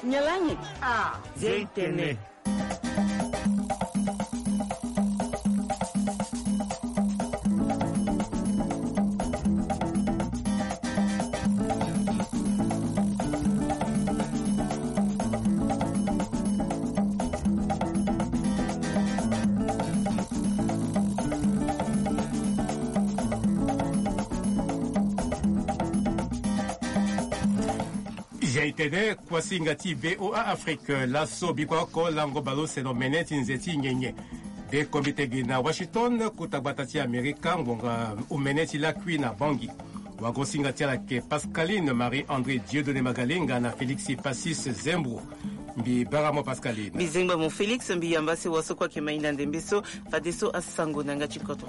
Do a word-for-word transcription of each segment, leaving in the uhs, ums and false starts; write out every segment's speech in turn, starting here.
Nyalangi. Ah, Zeitene. Zeitene, kuasinga ti VOA Afrique, laso bikua oko lango baleuse na omene ti nze ti nyenye. Be kombi tegi na Washington, kota gbata ti Amerika, ngbonga omene ti lakui na Bangui. Wango singa ti ala ayeke Pascaline Marie André Dieudonné Magalenga na Félix Passis Zembro. Mbi bara mo Pascaline. Mbi zengba mo Félix, mbi yamba si wa so kue ayeke ma hinda ndembe so, fadeso asango na yanga ti kodro.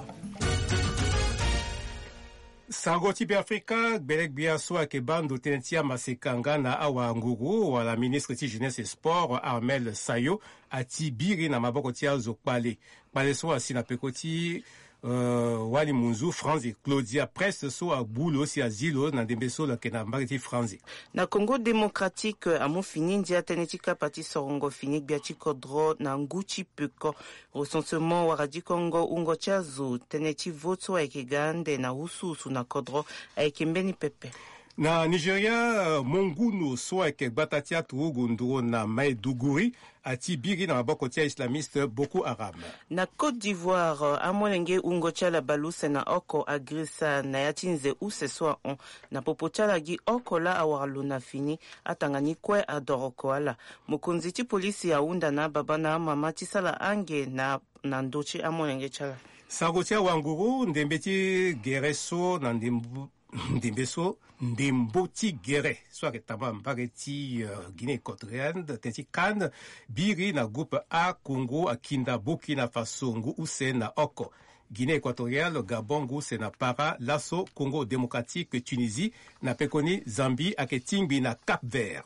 Sango ti Beafrika, gbele-gbia so ayeke baa ndo tënë ti amaseka nga na awanguru wala ministre ti jeunesse et sport Armel Sayo ati biri na maboko ti azo kpale. Kpale so asi na peko ti, euh, wali munzu Franzi Claudia Prest so agbu lo si azi lo na ndembe so lo yeke na mbage ti Franzi. Na Congo Démocratique, amu fini ndia tënë ti kapa ti sorongo fini gbia ti kodro na ngu ti peko. Recensement wara dikongo wungo ti azo tënë ti vote so ayeke ga ande na wusuwusu na kodro ayeke mbeni pepe. Na Nigeria, euh, mongunu so ayeke gbata ti aturugu nduru na Maiduguri ati biri na maboko ti a-islamiste Boko Haram. Na Côte d'Ivoire, amolenge wungo ti ala baleuse na oko agrisa na ya ti nze use so ahon. Na popo ti ala gi oko laa awara lo na fini, atanga ni kue adoroko ala. Mokonzi ti polisi ahunda na ababa na amama ti sala ange na, na ndö ti amolenge ti ala. Sango ti awanguru, ndembe ti gere so na ndembo, ndembe so, ndembo ti gere so ayeke tamba mbage ti, euh, Guinée équatoriale, tënë ti CAN, biri na groupe A, Congo akinda Burkina Faso ngu use na oko. Guinée équatoriale, Gabon ngu use na para, laso Congo Démocratique, Tunisie, na pekoni Zambie ayeke tingbi na Cap Vert.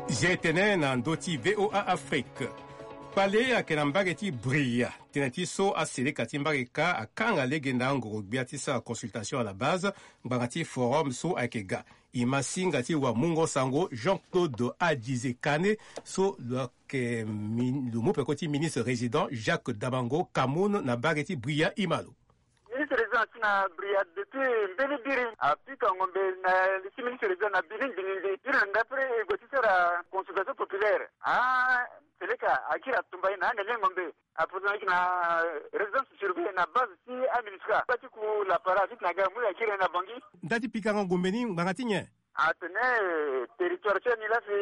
Zia etene na ndö ti VOA Afrique. Kpale ayeke na mbage ti Bria, tënë ti so aseleka ti mbage kâ akanga lege na angoro-gbia ti sara consultation à la base, ngbanga ti forum so ayeke ga. E ma singa ti wamungo sango Jean-Claude Adize Kane so lo yeke min-, lo mu peko ti ministre résident Jacques Dabango Kamoun na mbage ti Bria, e ma lo. Ministre résident asi na Bria depuis mbeni biri, apika ngombe na li ti ministre résident na bini ngbiningbi. Biri na ndapre e gue ti sara consultation populaire. Ah, seleka akiri atumba ye na ande ni ngombe. Aposo na yeke na résidence surveillée na base ti aministra. Ba ti ku lapara ti tena ga mu akiri na Bangui. Nda ti pikango ngombe ni ngbanga ti nyen? Atene territoire ti ani la si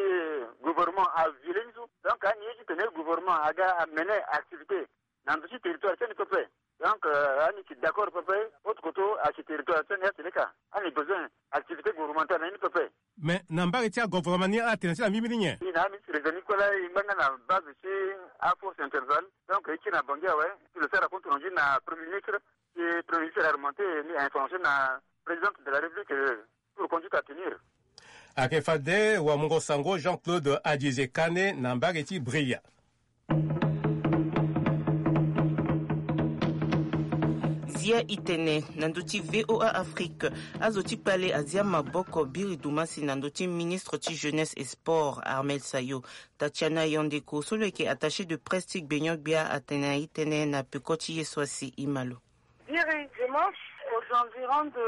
gouvernement a viole ni so. Donc ani ye ti tene gouvernement aga amener activité na ndo ti territoire ti ani pepe. Donc, euh, ani yeke d'accord pepe, autre côté ayeke territoire ti ani aseleka. Ani besoin activité gouvernementale na ni pepe. Mais na mbage ti agouvernement ni ala tene ti ala mbirimbiri nyen? Ni na aministre résident ni kue la e ngbanga na base ti aforce interval. Donc e kiri na Bangui awe, ti lo sara compte rendu na premier ministre. Si premier ministre a remonté ni a information na présidente de la République, euh, pour conduite à tenir. Ayeke fade wamungo sango Jean-Claude Adize Kane na mbage ti Bria. Zia itene na ndö ti VOA Afrique, azo ti kpale azia maboko biri dumasi na ndö ti ministre ti jeunesse et sport Armel Sayo. Tatiana Yandeko so lo yeke attaché de presse ti gbenyo-gbia atene na itene na peko ti ye so asi, e ma lo. Biri dimanche aux environs de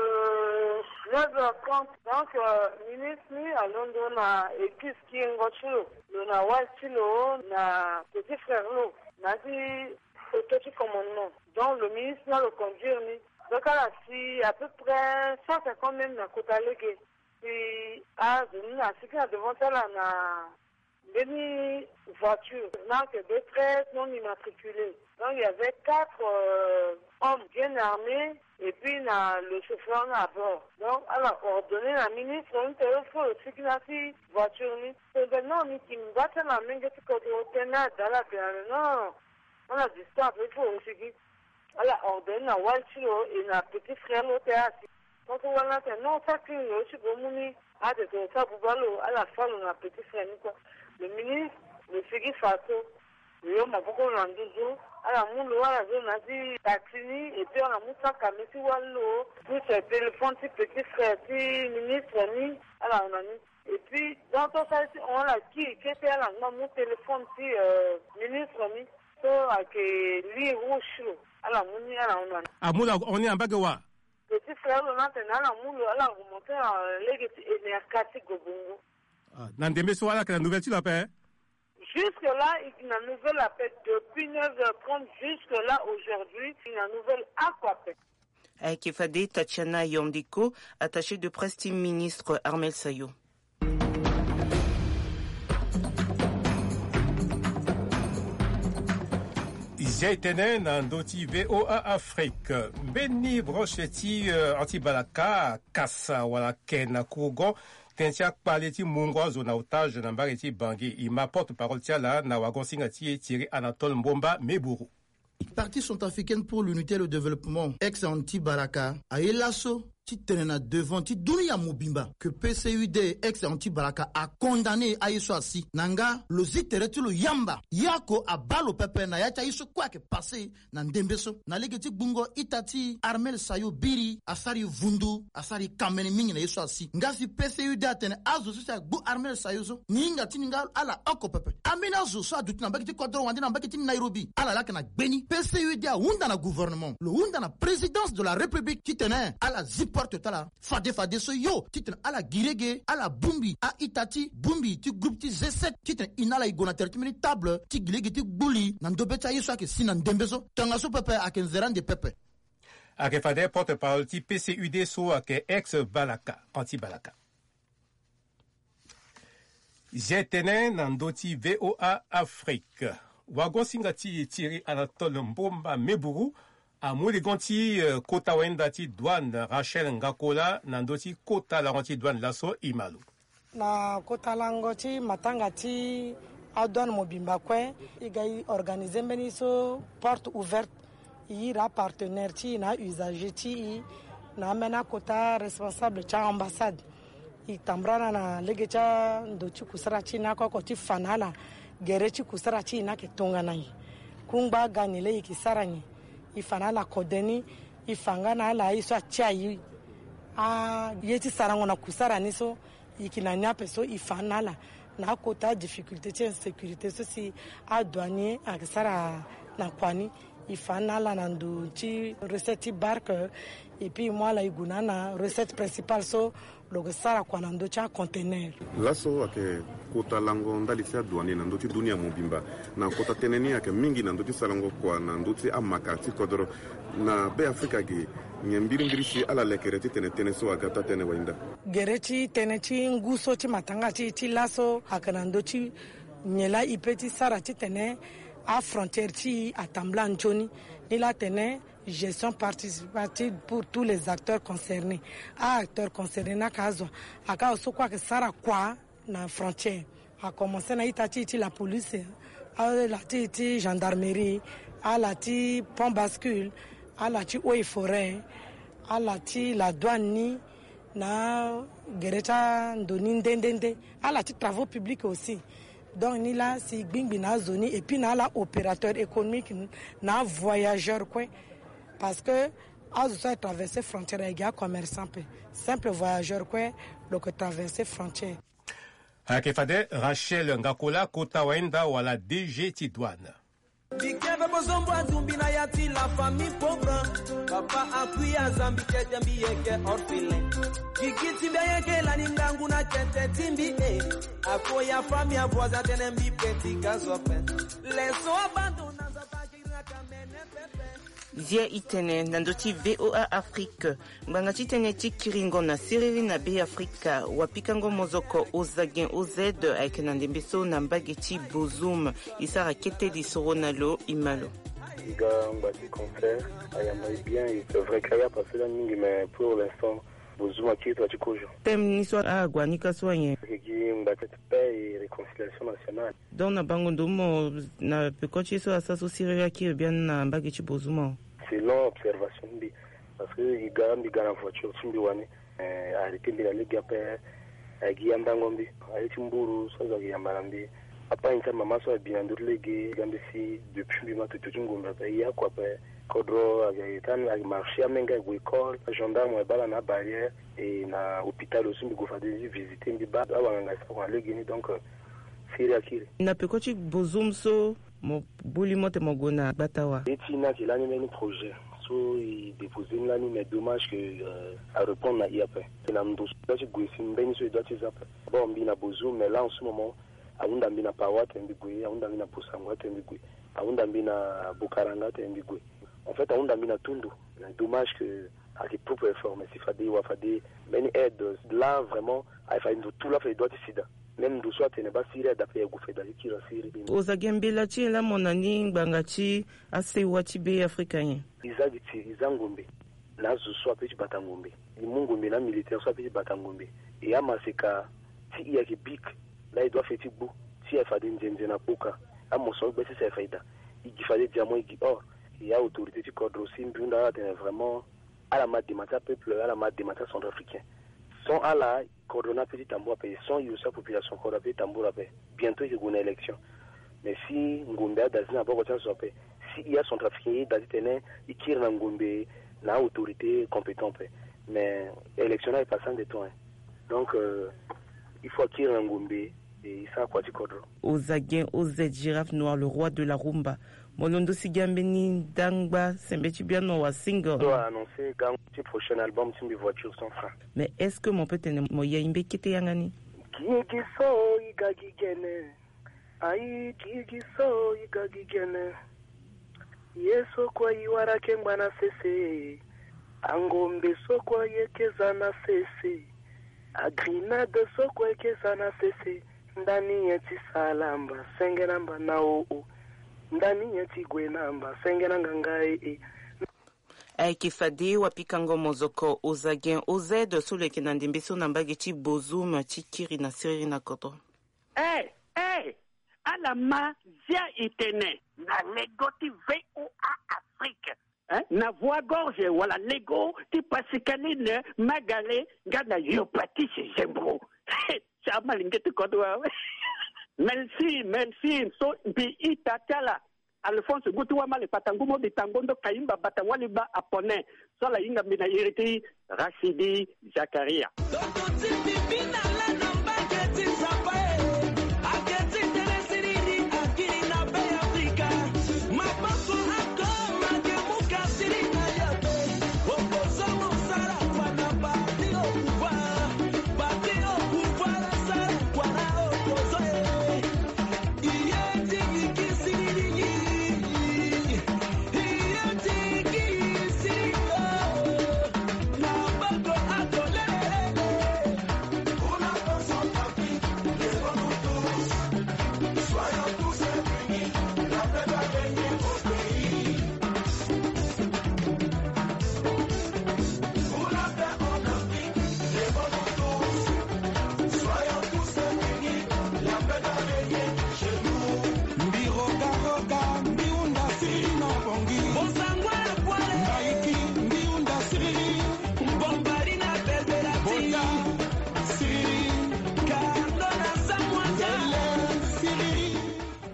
neuf heures trente. Donc, euh, ministre ni alondo na équipe kiringo ti lo, lo na wali ti lo na petit frère lo na ti photo ti commandement. Donc le ministre ni aloconduire ni. Donc ala si à peu près cent cinquante mètres na kota lege. Si azo ni asigi na devant ti ala na mbeni voiture, marque B treize non immatriculée. Donc il y avait quatre, euh, hommes bien armés et puis na le chauffeur na à bord. Donc ala ordonné na ministre ni tene il faut lo sigi na ti voiture ni. Tene non, ni yeke ngba ti ala na menge ti kodro tene ada ala tene non, non, non. Ala distance, il faut lo sigi. Ala ordonné na wali ti lo et na petit frère lo tene asi. Tant que wali ni atene non, sa kiri lo ti gue mu ni. Atene tene sa buba lo, ala fa lo na petit frère ni kue. Le ministre lo sigi faso. Yo maboko na nduzu. Ala mu lo ala zo na ti taxi ni, et puis ala mu saka mi ti wali lo, plus téléphone ti petit frère ti ministre ni. Ala hon na ni. Et puis donc to sara ti hon ala kiri kete, ala ngba mu téléphone ti ministre ni. So ayeke li rouge lo, ala mu ni, ala hon na ni. Amu la hon ni na mbage wa? Petit frère lo ni atene ala mu lo, ala remonte na lege ti enerka ti gobongo. Na ndembe so ala yeke na nouvelle ti lo ape? Jusque là il na nouvelle ape. Depuis neuf heures trente jusque là aujourd'hui il na nouvelle ako ape. Ayeke fade Tatiana Yandeko, attaché de presse ti ministre Armel Sayo. Zia e tene na ndö ti VOA Afrique. Mbeni branche ti anti-balaka akasa wala ake na Kourgon tënë ti akpale ti mungo azo na otage na mbage ti Bangui. E ma porte-parole ti ala na wagon-singa ti e, Thierry Anatole Mbomba Meburu. Parti centrafricaine pour l'unité et le développement, ex anti-balaka, aye laso ti tene na devant ti dunia mobimba que PCUD, ex anti-balaka, acondamné aye so asi. Na nga lo zi tere ti lo yamba, ye oko abaa lo pepe na ya ti aye so kue ayeke passé na ndembe so. Na lege ti gbungo ita ti Armel Sayo biri, asara e vundu, asara e kamene mingi na ye so asi. Nga si PCUD atene azo so si agbu Armel Sayo so, ni hinga ti ni nga ala oko pepe. Ambeni azo so aduti na mbage ti kodro wande na mbage ti Nairobi, ala laa ayeke na gbeni. PCUD ahunda na gouvernement, lo hunda na présidence de la République titene ala zi porte ti ala fade fade so yo, titene ala gi lege, ala bongbi a-ita ti bongbi ti groupe ti G sept, titene e na ala e gue na tere ti mbeni table ti gi lege ti gbu li na ndobe ti aye so ayeke si na ndembe so. Tongaso pepe ayeke nzere ande pepe. Ayeke fade porte-parole ti PCUD so ayeke ex-balaka, anti-balaka. Zia e tene na ndö ti VOA Afrique. Wagon-singa ti e Thierry Anatole Mbomba Meburu amu ligon ti kota wayenda ti douane Rachel Ngakola na ndö ti kota lango ti douane laso. E ma lo. Na kota lango ti matanga ti adouane mobimba kue, e ga e organiser mbeni so porte ouverte. E iri apartenaire ti e na ausager ti e na ambeni akota responsable ti a-ambassade. E tambula na na lege ti ando ti kusara ti e ni oko oko ti fa na ala gere ti kusara ti e ni ayeke tongana nyen. Kungba aga nyen laa e yeke sara nyen. E fa na ala kode ni. E fa nga na ala aye so atia e aye ti sarango na kusara ni so. E yeke na ni ape so e fa na ala na akota difficulté ti insécurité so si adouanier ayeke sara na kua ni. E fa na ala na ndo ti recette ti barque. Et puis e mu ala e gue na ala na recette principale so lo yeke sara kua na ndö ti acontenaire. Laso ayeke kota lango ndali ti adouanier na ndö ti dunia mobimba. Na kota tënë ni ayeke mingi na ndö ti sarango kua na ndö ti amaka ti kodoro. Na Be Afrika ge, nyen mbirimbiri si ala lekere titene tënë so aga taa-tënë wayenda? Gere ti tënë ti ngu so ti matanga ti e ti laso ayeke na ndö ti nyen laa e peut ti sara titene afrontière ti e atambula nzoni. Ni laa atene gestion participative pour tous les acteurs concernés. A-acteurs concernés ni ayeke azo, ayeke azo so kue ayeke sara kua na frontière. Akomanse na ita ti e ti la police, ala ti e ti gendarmerie, ala ti pont bascule, ala ti eaux et forêts, ala ti la douane ni, na gere ti ando ni nde nde nde, ala ti travaux publics aussi. Donc ni laa si e gbingbi na azo ni et puis na ala opérateur économique, na avoyageur kue. Parce que azo so aye traverser frontière ayeke acommerçant ape. Simple voyageur kue lo yeke traverser frontière. Ayeke fade Rachel Ngakola, kota wayenda wala D G ti douane. Ti kebe bozombo azumbi na ya ti la famille pauvre. Papa akui azambi kete mbi yeke orphelin. Gigi ti mbi ayeke lani ngangu na kete ti mbi e. Akoya famille avoisin atene mbi petit gazo ape. Leso abandon na nzapa kiri na kamene pepe. Zia e tene na ndö ti VOA Afrique. Ngbanga ti tënë ti kiringo na siriri na Be Afrika, wapikango mozoko Ozagen O Z ayeke na ndembe so na mbage ti Bozoum. E sara kete lisoro na lo, e ma lo. E ga ngba ti concert, ayamba e bien, e, c'est vrai que aya passé lani mingi, mais pour l'instant Bozoum akiri tongana ti kozo. Thème ni so ague na ni ka so anyen? Ayeke gi ngba ti paix et réconciliation nationale. Donc na bango ndo mo na peko ti ye so asara so siriri akiri biani na mbage ti Bozoum awe? Selon observation ti mbi, parce que e ga mbi ga na voiture ti mbi wani, eh, arrêté mbi na lege ape, eh, gi andango mbi, aye ti mburu so azo ayeke yamba na mbi. Papa, ayen ti amama so abi na ndö ti lege, ga mbeti depuis mbi ma toto ti ngombe ape, e ya kua ape. Kodro ayeke, ayeke marché, amenge ague école, agendarme aye baa ala na abarrière, e na hôpital aussi mbi gue fade ti visiter, mbi baa awanganga ti sara kua na legeni. Donc, euh, siriri akiri. Na peko ti Bozoum so mo gbu li mo tene mo gue na gbata wa? Ye ti ni ayeke lani mbeni projet so e déposer ni lani, mais dommage que, euh, arépondre na e ape. E na ndo so e doit ti gue si mbeni so e doit ti za ape. Bon, mbi na Bozoum, mais là en ce moment ahunda mbi na Pawa atene mbi gue, ahunda mbi na Bossangoa atene mbi gue, ahunda mbi na Bokaranga atene mbi gue. En fait, ahunda mbi na tout ndo. Mais dommage que ayeke propre effort, mais si fade e wara fade mbeni aide là, vraiment, ayeke fade ndo tout laa fade e doit ti si daa. Même ndo so atene baa siriri ada ape, e gue fade e kiri na siriri. Oza ge mbela ti e laa, mo na ni ngbanga ti asewa ti Be Afrika nyen? E za gi ti e, e za ngombe na azo so ape ti bata ngombe. E mu ngombe na amilitaire so ape ti bata ngombe. E amaseka ti e ayeke bic, laa e doit fade ti gbu, ti e ayeke fade nzenze na kpoka. Amosoro gbesi si ayeke fade daa. E gi fade diamant, e gi or. E aautorité ti kodro si mbi hunda ala atene vraiment ala ma dema ti apeuple, ala ma dema ti acentrafricain. Sans ala, kodro ni ape ti tambula ape, sans e aussi apopulation kodro ape ti tambula ape. Bientôt e yeke gue na élection. Mais si ngombe ada ti e na boko ti azo ape, si e acentrafricain e da titene e kiri na ngombe na autorité compétent ape. Mais élection ni aye passé ande temps, hein. Donc, euh, il faut akiri na ngombe, e e sara kua ti kodro. Oza gen O Z, Girafe Noir, le roi de la rumba. Mo londo si gi ambeni ndangba sembe ti biano wa single. So a annoncé gango ti prochain album ti mbi, Voiture sans frein. Mais est-ce que mo peut tene mo yai mbeni kete yanga ni? Gigi so e ga gi gene. Ayi, gigi so e ga gi gene. Ye so kue e wara ayeke ngba na sese. Angombe so kue ayeke za na sese. Agrenade so kue ayeke za na sese. Ndani nyen ti sala mba senge na mba na o o. Ndani nyen ti gue na mba senge na nganga e e. Ayeke fade wapikango mozoko Oza Gen O Z so lo yeke na ndembe so na mbage ti Bozoum ti kiri na siriri na kodro. Eh, eh, ala ma zia e tene. Na lego ti V O A Afrique. Hein? Na Voix Gorge wala lego ti Pascaline Magale nga na Yopatis Zembro. Ti amalenge ti kodro awe. Merci, merci. So mbi ita ti ala Alphonse Gutu Wamale Patangu Mobi Tangondo Kayimba Bata Waliba Apone. So ala hinga mbi na iri ti Rachidi Zakaria. Toto ti mbi bi na la na mbage ti Nzapa e. Ake ti tene siriri akiri na Be Afrika. Maboko akoma ke muka siriri na ya be. Opposant mo sara kua na parti au pouvoir. Parti au pouvoir asara kua na opposant e. Mbi roga roga, mbi hunda siriri na bongi. Bozangwa na kwale. Mbaiki, mbi hunda siriri. Mbombari na belberati. Bota siriri. Kando na samwata. Ndele siriri.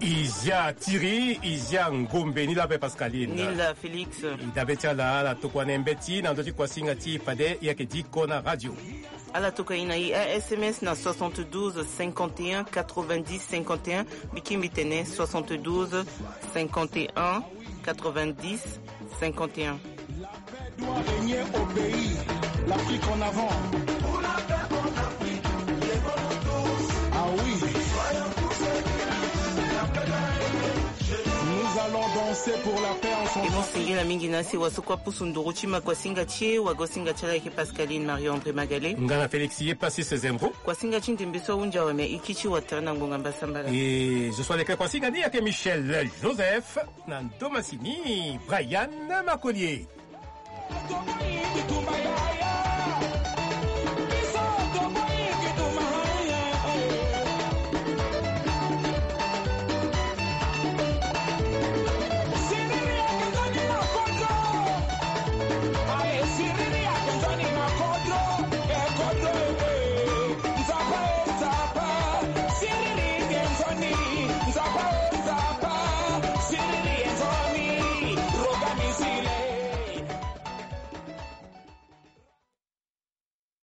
Izia tiri, izia ngombe ni la pe Pascaline. Ni la Félix. I dabe ti ala, ala tokua na e mbeti na ndö ti kuasinga ti fade e yeke diko na radio. Ala tokua e na e a S M S na soixante-douze cinquante et un quatre-vingt-dix cinquante et un, mbi ki mbi tene soixante-douze cinquante et un quatre-vingt-dix cinquante et un. La paix doit régner au pays. L'Afrique en avant. Ah oui. Nous allons danser pour la paix ensemble. E mo singila mingi na sewa so kue apusu nduru ti ma kuasinga ti e, wagosinga ti ala ayeke Pascaline Marie André Magale. Nga na Félix ye Passis Zembo. Kuasinga ti ndembe so ahunzi awe, me e kiti watara na ngbonga mbasambala. E zo so aleke kuasinga ni ayeke Michel Joseph na ndo masini Brian Makolier.